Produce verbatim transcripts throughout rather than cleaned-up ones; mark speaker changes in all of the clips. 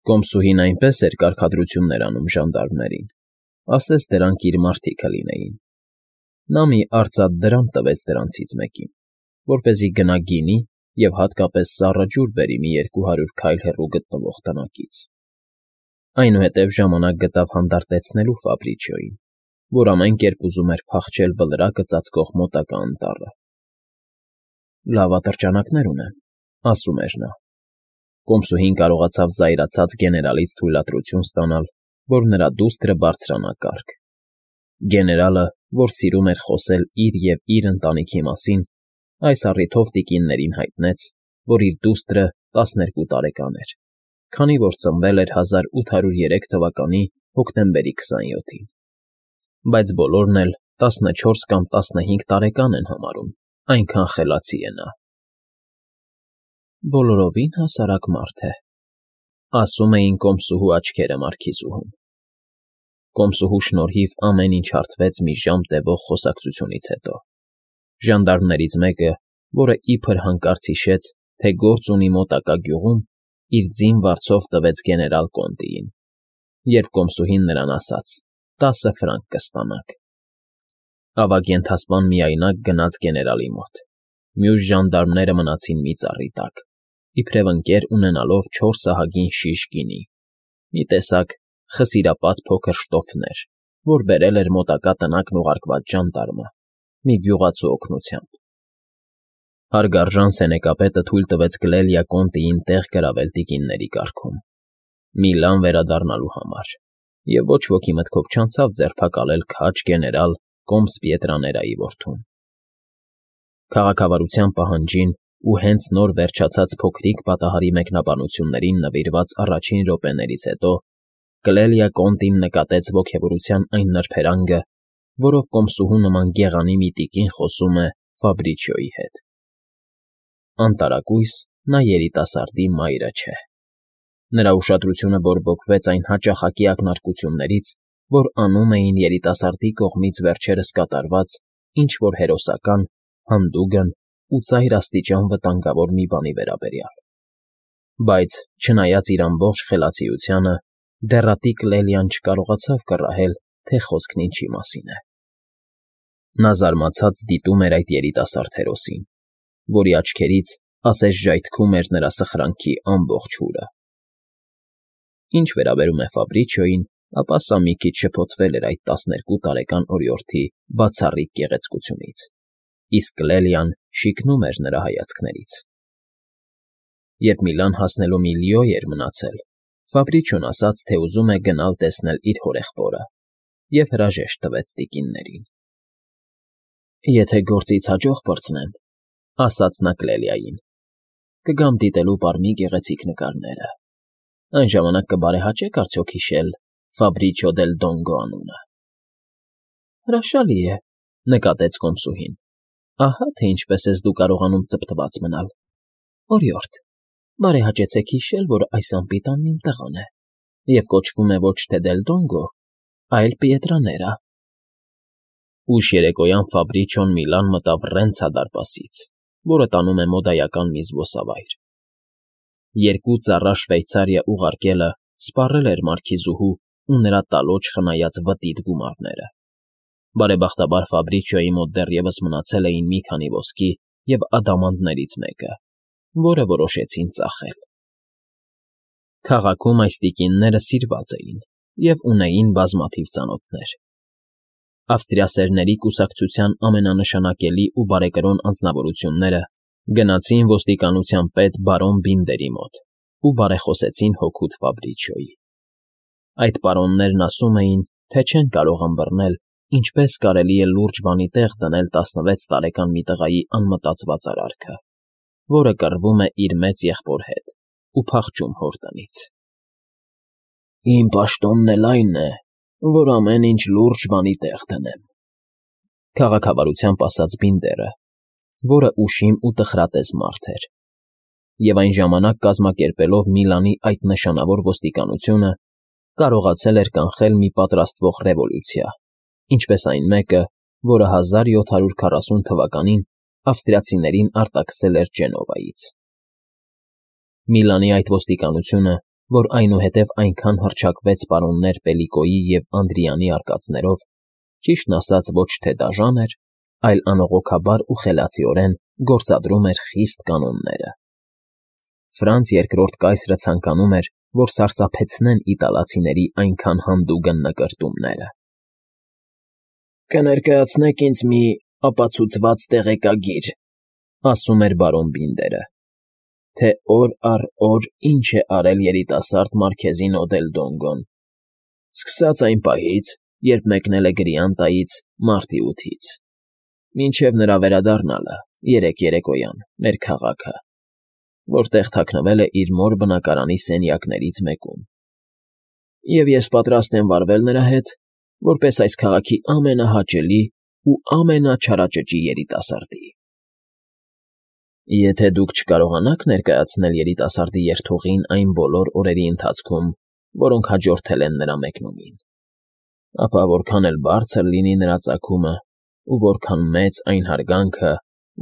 Speaker 1: Կոմսուհին այնպես էր կարգադրություններ անում ժանդարմներին, ասես դրանք իր մարդիկը լինեին. նա մի արծաթ դրամ տվեց դրանցից մեկին, որպեսզի գնա գինի և հատկապես սառը ջուր բերի մի երկու հարյուր քայլ հեռու գտնվող տնակից. այնուհետև ժամանակ գտավ հանդարտեցնելու Ֆաբրիչիոյին, որ ամեն կերպ ուզում էր փախչել բլրակը ծածկող մոտակա անտառը։ «Լավ ատրճանակներ ունեմ», ասում էր նա։ Կոմսուհին կարողացավ զայրացած գեներալից թույլատրություն ստանալ, որ նրա դուստրը բարձրանա կարգ։ Գեներալը, որ սիրում էր խոսել իր և իր ընտանիքի մասին, այս առիթով տիկիններին հայտնեց, որ իր դուստրը տասներկու տարեկան էր, քանի որ ծնվել էր հազար ութ հարյուր երեք թվականի հոկտեմբերի քսանյոթին, բայց բոլորն էլ տասնչորս կամ տասնհինգ տարեկան են համարում, այնքան խելացի է նա։ «Բոլորովին հասարակ մարդ է», ասում էին կոմսուհու աչքերը մարքիզուհուն։ Կոմսուհու շնորհիվ ամեն ինչ հարթվեց մի ժամ տևող խոսակցությունից հետո։ Ժանդարմներից մեկը, որը իբր հանկարծ հիշեց, թե գործ ունի մոտակա գյուղում, իր ձին վարձով տվեց գեներալ Կոնտիին, երբ կոմսուհին նրան ասաց. «Տասը ֆրանկ կստանաք»։ Ավագ ենթասպան միայնակ գնաց գեներալի մոտ։ Մյուս ժանդարմները մնացին մի ծառի տակ, իբրև ընկեր ունենալով չորս ահագին շիշ գինի, մի տեսակ խսիրապատ փոքր շտոֆներ, որ բերել էր մոտակա տնակն ուղարկված ժանդարմը, մի գյուղացու օգնությամբ։ Հարգարժան սենեկապետը թույլ տվեց Կլելիա Կոնտիին տեղ գրավել տիկինների կարգում, Միլան վերադառնալու համար, և ոչ ոքի մտքով չանցավ ձերբակալել քաջ գեներալ Կոմս Պիետրաներայի որդուն։ Քաղաքավարության պահանջին ու հենց նոր վերջացած փոքրիկ պատահարի մեկնաբանություններին նվիրված առաջին րոպեներից հետո Կլելիա Կոնտին նկատեց ոգևորության այն նրբերանգը, որով կոմսուհու նման գեղանի մի տիկին խոսում է Ֆաբրիչիոյի հետ։ Անտարակույս նա երիտասարդի մայրը չէ։ Նրա ուշադրությունը բորբոքվեց այն հաճախակի ակնարկություններից, որ անում էին երիտասարդի կողմից վերջերս կատարված ինչ֊որ հերոսական, հանդուգն ու ծայր աստիճան վտանգավոր մի բանի վերաբերյալ։ Բայց, չնայած իր ամբողջ խելացիությանը, դեռատիկ Կլելիան չկարողացավ կռահել, թե խոսքն ինչի մասին է։ Նա զարմացած դիտում էր այդ երիտասարդ հերոսին, որի աչքերից ասես ժայթքում էր նրա սխրանքի ամբողջ հուրը։ Ինչ վերաբերում է Ֆաբրիչիոյին, ապա սա մի քիչ շփոթվել էր այդ տասներկու տարեկան օրիորդի բացառիկ գեղեցկությունից, իսկ Կլելիան շիկնում էր նրա հայացքներից։ Երբ Միլան հասնելու մի լիո էր մնացել, Ֆաբրիչիոն ասաց, թե ուզում է գնալ տեսնել իր հորեղբորը, և հրաժեշտ տվեց տիկիններին։ «Եթե գործից հաջող պրծնեմ,» ասաց նա Կլելիային,֊ կգամ դիտելու պարմի գեղեցիկ նկարները։ Այն ժամանակ կբարեհաճե՞ք արդյոք հիշել Ֆաբրիչիո դել Դոնգո անունը։ «Հրաշալի է,֊ նկատեց կոմսուհին,֊ ահա թե ինչպես ես դու կարողանում ծպտված մնալ։ Օրիորդ, բարեհաճեցեք հիշել, որ այս անպիտանն իմ տղան է և կոչվում է ոչ թե Դել Դոնգո, այլ Պիետրաներա»։ Ուշ երեկոյան Ֆաբրիչիոն Միլան մտավ Ռենցա դարպասից, որը տանում է մոդայական մի զբոսավայր։ Երկու ծառա Շվեյցարիա ուղարկելը սպառել էր մարքիզուհու ու նրա տալոջ խնայած վտիտ գումարները։ Բարեբախտաբար Ֆաբրիչիոյի մոտ դեռևս մնացել էին մի քանի ոսկի և ադամանդներից մեկը, որը որոշեցին ծախել։ Քաղաքում այս տիկինները սիրված էին և ունեին բազմաթիվ ծանոթներ։ Ավստրիասերների կուսակցության ամենանշանակելի ու բարեկրոն անձնավորությունները գնացին ոստիկանության պետ բարոն Բինդերի մոտ ու բարեխոսեցին հօգուտ Ֆաբրիչիոյի։ Այդ պարոններն ասում էին, թե չեն կարող ըմբռնել, ինչպես կարելի է լուրջ բանի տեղ դնել տասնվեց տարեկան մի տղայի անմտածված արարքը, որը կռվում է իր մեծ եղբոր հետ ու փախչում հոր տնից։ «Իմ պաշտոնն էլ այն է, որ ամեն ինչ լուրջ բանի տեղ դնեմ,֊ քաղաքավարությամբ ասաց Բինդերը, որը ուշիմ ու տխրատես մարդ էր, և այն ժամանակ կազմակերպելով Միլանի այդ նշանավոր ոստիկանությունը, կարողացել էր կանխել մի պատրաստվող ռևոլյուցիա, ինչպես այն մեկը, որը հազար յոթ հարյուր քառասուն թվականին ավստրիացիներին արտաքսել էր Ջենովայից։ Միլանի այդ ոստիկանությունը որ այնուհետև այնքան հռչակվեց պարոններ Պելիկոյի և Անդրիանի արկածներով, ճիշտն ասած ոչ թե դաժան էր, այլ անողոքաբար ու խելացիորեն գործադրում էր խիստ կանոնները։ Ֆրանց երկրորդ կայսրը ցանկանում էր, որ սարսափեցնեն իտալացիների այնքան հանդուգն նկրտումները։ «Կներկայացնեք ինձ մի ապացուցված տեղեկագիր,֊ ասում էր բարոն Բինդերը,֊ թե օր առ օր ինչ է արել երիտասարդ մարքեզին Օդելդոնգոն, սկսած այն պահից, երբ մեկնել է Գրիանտայից մարտի ութից, մինչև նրա վերադառնալը երեկ երեկոյան մեր քաղաքը, որտեղ թաքնվել է իր մոր բնակարանի սենյակներից մեկում, և ես պատրաստ եմ վարվել նրա հետ, որպես այս քաղաքի ամենահաճելի ու ամենաչարաճճի երիտասարդի։ Եթե դուք չկարողանաք ներկայացնել երիտասարդի երթուղին այն բոլոր օրերի ընթացքում, որոնք հաջորդել են նրա մեկնումին, ապա որքան էլ բարձր լինի նրա ծագումը ու որքան մեծ այն հարգանքը,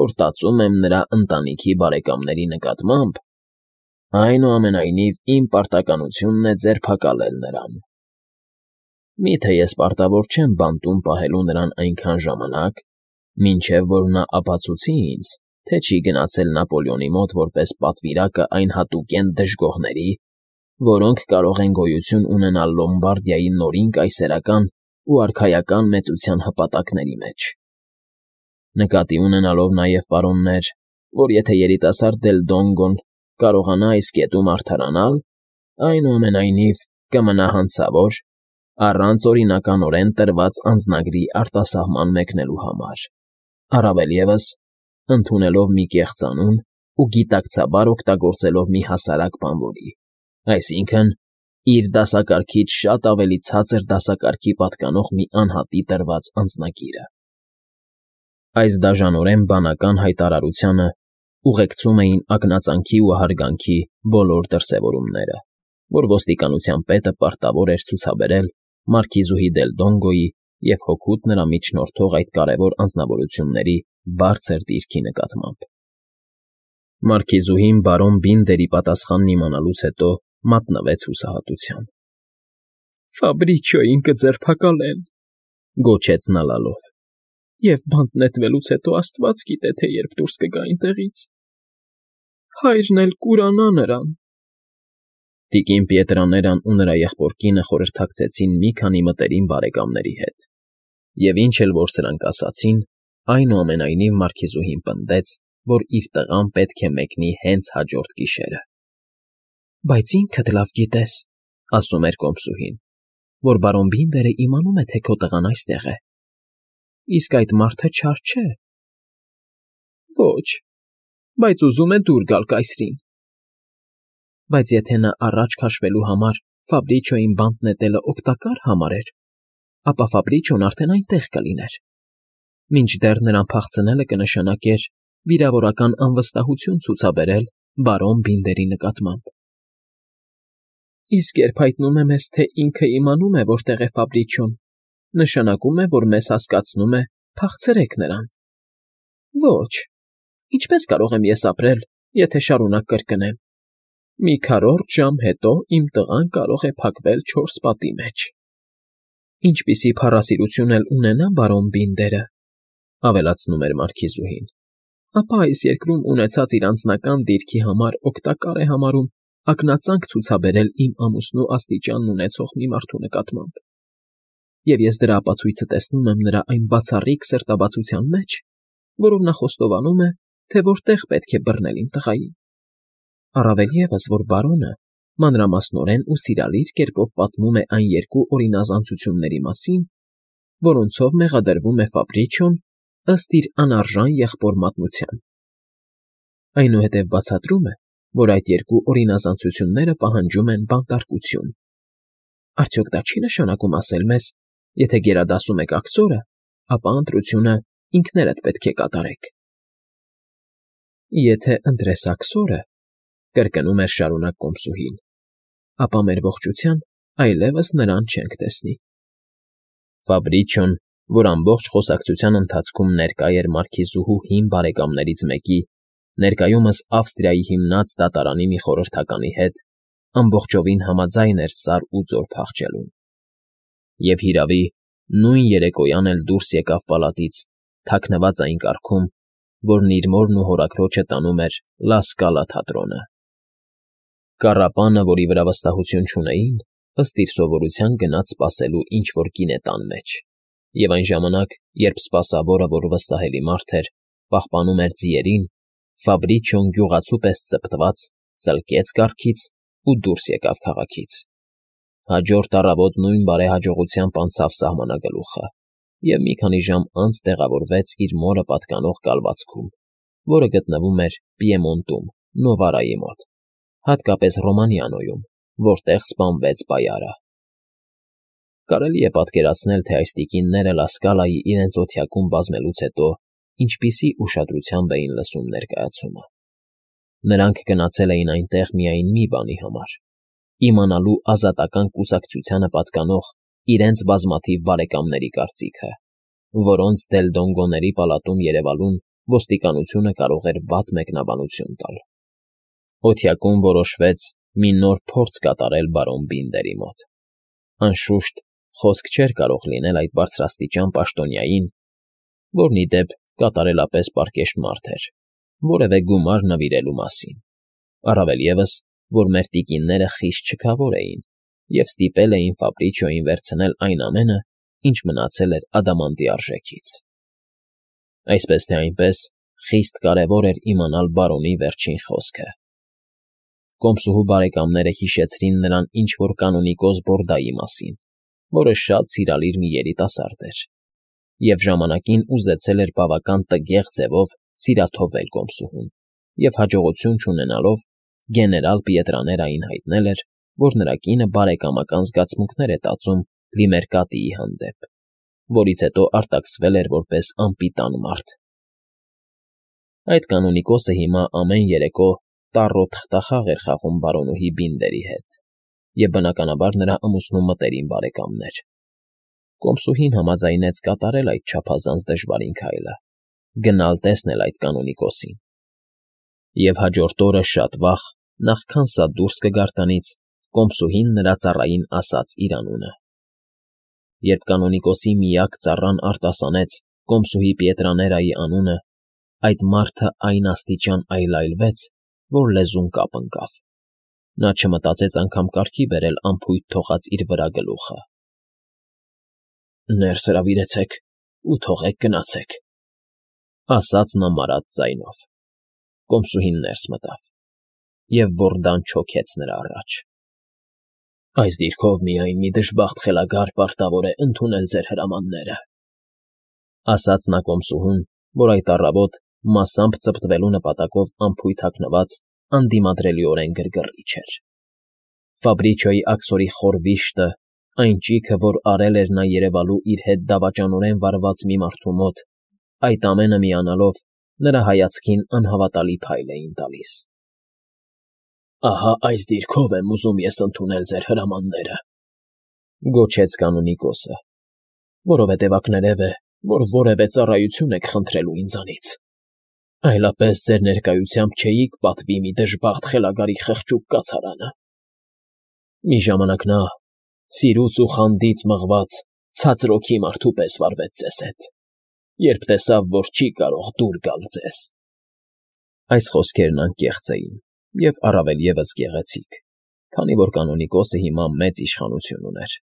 Speaker 1: որ տածում եմ նրա ընտանիքի բարեկամների նկատմամբ, այնուամենայնիվ իմ պարտականությունն է ձերբակալել նրան։ Միթե ես պարտավոր չեմ բանտում պահելու նրան այնքան ժամանակ, մինչև որ նա ապացուցի ինձ, թե չի գնացել Նապոլեոնի մոտ որպես պատվիրակը այն հատուկենտ դժգոհների, որոնք կարող են գոյություն ունենալ Լոմբարդիայի նորին կայսերական ու արքայական մեծության հպատակների մեջ։ Նկատի ունենալով նաև, պարոններ, որ եթե երիտասարդ Դել Դոնգոն կարողանա այս կետում արդարանալ, այնուամենայնիվ կմնա հանցավոր, առանց օրինականորեն տրված անձնագրի արտասահման մեկնելու համար, առավել ևս, ընդունելով մի կեղծանուն ու գիտակցաբար օգտագործելով մի հասարակ բանվորի, այսինքն՝ իր դասակարգից շատ ավելի ցածր դասակարգի պատկանող մի անհատի տրված անձնագիրը։ Այս դաժանորեն բանական հայտարարությանը ուղեկցում էին ակնածանքի ու հարգանքի բոլոր դրսևորումները, որ ոստիկանության պետը պարտավոր էր ցուցաբերել մարքիզուհի Դել Դոնգոյի և հօգուտ նրա միջնորդող այդ կարևոր անձնավորությունների բարձր դիրքի նկատմամբ։ Մարքիզուհին բարոն Բինդերի պատասխանն իմանալուց հետո մատնվեց հուսահատության։ «Ֆաբրիչիոյին կձերբակալեն,֊ գոչեց նա լալով,֊ և բանտ նետվելուց հետո աստված գիտե, թե երբ դուրս կգա այնտեղից… Հայրն էլ կուրանա նրան…» Տիկին Պիետրաներան ու նրա եղբոր կինը խորհրդակցեցին մի քանի մտերիմ բարեկամների հետ, և ինչ էլ որ սրանք ասացին, այնուամենայնիվ մարքիզուհին պնդեց, որ իր տղան պետք է մեկնի հենց հաջորդ գիշերը։ «Բայց ինքդ լավ գիտես,֊ ասում էր կոմսուհին,֊ որ բարոն Բինդերը իմանում է, թե քո տղան այստեղ է, իսկ այդ մարդը չար չէ»։ «Ոչ, բայց ուզում է դուր գալ կայսրին»։ «Բայց եթե նա առաջ քաշվելու համար Ֆաբրիչիոյին բանտ նետելը օգտակար համարեր, ապա Ֆաբրիչիոն արդեն այնտեղ կլիներ, մինչդեռ նրան փախցնելը կնշանակեր վիրավորական անվստահություն ցուցաբերել բարոն Բինդերի նկատմամբ»։ «Իսկ երբ հայտնում է մեզ, թե ինքը իմանում է, որտեղ է Ֆաբրիչիոն, նշանակում է, որ մեզ հասկացնում է փախցրեք նրան»։ «Ոչ, ինչպես կարող եմ ես ապրել, եթե շարունակ կրկնեմ. մի քառորդ ժամ հետո իմ տղան կարող է փակվել չորս պատի մեջ»։ «Ինչպիսի փառասիրություն էլ ունենա բարոն Բինդերը,֊ ավելացնում էր մարքիզուհին,֊ ապա այս երկրում ունեցած իր անձնական դիրքի համար օգտակար է համարում ակնածանք ցուցաբերել իմ ամուսնու աստիճանն ունեցող մի մարդու նկատմամբ, և ես դրա ապացույցը տեսնում եմ նրա այն բացառիկ սրտաբացության մեջ, որով նա խոստովանում է, թե որտեղ պետք է բռնել իմ տղային։ Առավել ևս, որ բարոնը մանրամասնորեն ու սիրալիր կերպով պատմում է այն երկու օրինազանցությունների մասին, որոնցով մեղադրվում է Ֆաբրիչիոն ըստ իր անարժան եղբոր մատնության։ Այնուհետև բացատրում է, որ այդ երկու օրինազանցությունները պահանջում են բանտարկություն։ Արդյոք դա չի նշանակում ասել մեզ, եթե գերադասում եք աքսորը, ապա ընտրությունը ինքներդ պետք է կատարեք։ «Եթե ընտրես աքսորը,֊ կրկնում էր շարունակ կոմսուհին,֊ ապա մեր ողջության այլևս նրան չենք տեսնի»։ Ֆաբրիչիոն, որ ամբողջ խոսակցության ընթացքում ներկա էր մարքիզուհու հին բարեկամներից մեկի, ներկայումս Ավստրիայի հիմնած դատարանի մի խորհրդականի հետ, ամբողջովին համաձայն էր սար ու ձոր փախչելուն։ Եվ հիրավի, նույն երեկոյան էլ դուրս եկավ պալատից, թաքնված այն կարգում, որն իր մորն ու հորաքրոջը տանում էր Լա Սկալա թատրոնը։ Կառապանը, որի վրա վստահություն չունեին, ըստ իր սովորության գնաց սպասելու ինչ-որ գինետան մեջ, և այն ժամանակ, երբ սպասավորը, որ վստահելի մարդ էր, պահպանում էր ձիերին, Ֆաբրիչիոն գյուղացու պես ծպտված ծլկեց կառքից ու դուրս եկավ քաղաքից։ Հաջորդ առավոտ նույն բարեհաջողությամբ անցավ սահմանագլուխը և մի քանի ժամ անց տեղավորվեց իր մորը պատկանող կալվածքում, որը գտնվում էր Պիեմոնտում, Նովարայի մոտ, հատկապես Ռոմանիանոյում, որտեղ սպանվեց պայարը։ Կարելի է պատկերացնել, թե այս տիկինները Լա Սկալայի իրենց օթյակում բազմելուց հետո ինչպիսի ուշադրությամբ էին լսում ներկայացումը։ Նրանք գնացել էին այնտեղ միայն մի բանի համար՝ իմանալու ազատական կուսակցությանը պատկանող իրենց բազմաթիվ բարեկամների կարծիքը, որոնց Դելդոնգոների պալատում երևալուն ոստիկանությունը կարող էր վատ մեկնաբանություն տալ։ Օթյակում որոշվեց մի նոր փորձ կատարել բարոն Բինդերի մոտ։ Անշուշտ, խոսք չէր կարող լինել այդ բարձրաստիճան պաշտոնյային, որն, ի դեպ, կատարելապես պարկեշտ մարդ էր, որևէ գումար նվիրելու մասին, առավել ևս, որ մեր տիկինները խիստ չքավոր էին և ստիպել էին Ֆաբրիչիոյին վերցնել այն ամենը, ինչ մնացել էր ադամանդի արժեքից։ Այսպես թե այնպես, խիստ կարևոր էր իմանալ բարոնի վերջին խոսքը։ Կոմսուհու բարեկամները հիշեցրին նրան ինչ-որ կանոնիկոս Բորդայի մասին, որը շատ սիրալիր մի երիտասարդ էր, և ժամանակին ուզեցել էր բավական տգեղ ձևով սիրաթովել կոմսուհուն և հաջողություն չունենալով գեներալ Պիետրաներային հայտնել էր, որ նրա կինը բարեկամական զգացմունքներ է տածում Լիմերկատիի հանդեպ, որից հետո արտաքսվել էր որպես անպիտան մարդ։ Այդ կանոնիկոսը հիմա ամեն երեկո տառո թղթախաղ էր խաղում բարոնուհի Բինդերի հետ, և բնականաբար նրա ամուսնու մտերիմ բարեկամն էր։ Կոմսուհին համաձայնեց կատարել այդ չափազանց դժվարին քայլը՝ գնալ տեսնել այդ կանոնիկոսին։ Եվ հաջորդ օրը շատ վաղ, նախքան սա դուրս կգար տնից, կոմսուհին նրա ծառային ասաց իր անունը։ Երբ կանոնիկոսի միակ ծառան արտասանեց կոմսուհի Պիետրաներայի անունը, այդ մարդը այն աստիճան այլայլվեց, որ լեզուն կապ ընկավ։ Նա չմտածեց անգամ կարգի բերել անփույթ թողած իր վրա գլուխը։ «Ներս հրավիրեցեք ու թողեք գնացեք», ասաց նա մարած ձայնով։ Կոմսուհին ներս մտավ, և բորդան չոքեց նրա առաջ։ «Այս դիրքով միայն մի դժբախտ խելագար պարտավոր է ընդունել ձեր հրամանները», ասաց նա կոմսուհուն, որ այդ առավոտ, մասամբ ծպտվելու նպատակով անփույթ հագնված, անդիմադրելիորեն գրգռիչ էր։ Ֆաբրիչիոյի աքսորի խոր վիշտը, այն ճիգը, որ արել էր նա երևալու իր հետ դավաճանորեն վարված մի մարդու մոտ, այդ ամենը միանալով նրա հայացքին անհավատալի փայլ էին տալիս։ «Ահա այս դիրքով եմ ուզում ես ընդունել ձեր հրամանները», գոչեց կանոնիկոսը, «որովհետև ակներև է, որ որևէ ծառայություն եք խնդրելու ինձանից, այլապես ձեր ներկայությամբ չէիք պատվի մի դժբախտ խելագարի խղճուկ կացարանը»։ Մի ժամանակ նա, սիրուց ու խանդից մղված, ցածրօքի մարդու պես վարվեց ձեզ հետ, երբ տեսավ, որ չի կարող դուր գալ ձեզ։ Այս խոսքերն անկեղծ էին և առավել ևս գեղեցիկ, քանի որ կանոնիկոսը հիմա մեծ իշխանություն ուներ։